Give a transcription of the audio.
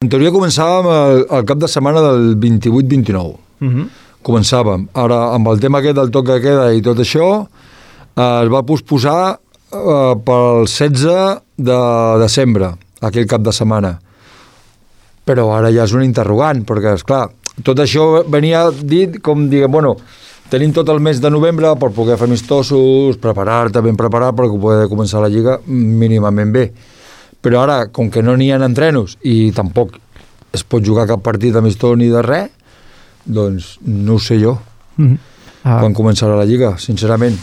En teoria començàvem el cap de setmana del 28-29. Començàvem. Ara, amb el tema aquest del toc de queda i tot això, es va posposar pel 16 de desembre, aquell cap de setmana. Però ara ja és un interrogant, perquè, esclar, tot això venia dit com diguem, bueno, tenim tot el mes de novembre per poder fer amistosos, preparar-te ben preparat perquè poder començar la Lliga mínimament bé. Però ara, com que no n'hi ha entrenos i tampoc es pot jugar cap partit amistós ni de res, doncs no ho sé jo. Quan començarà la Lliga, sincerament.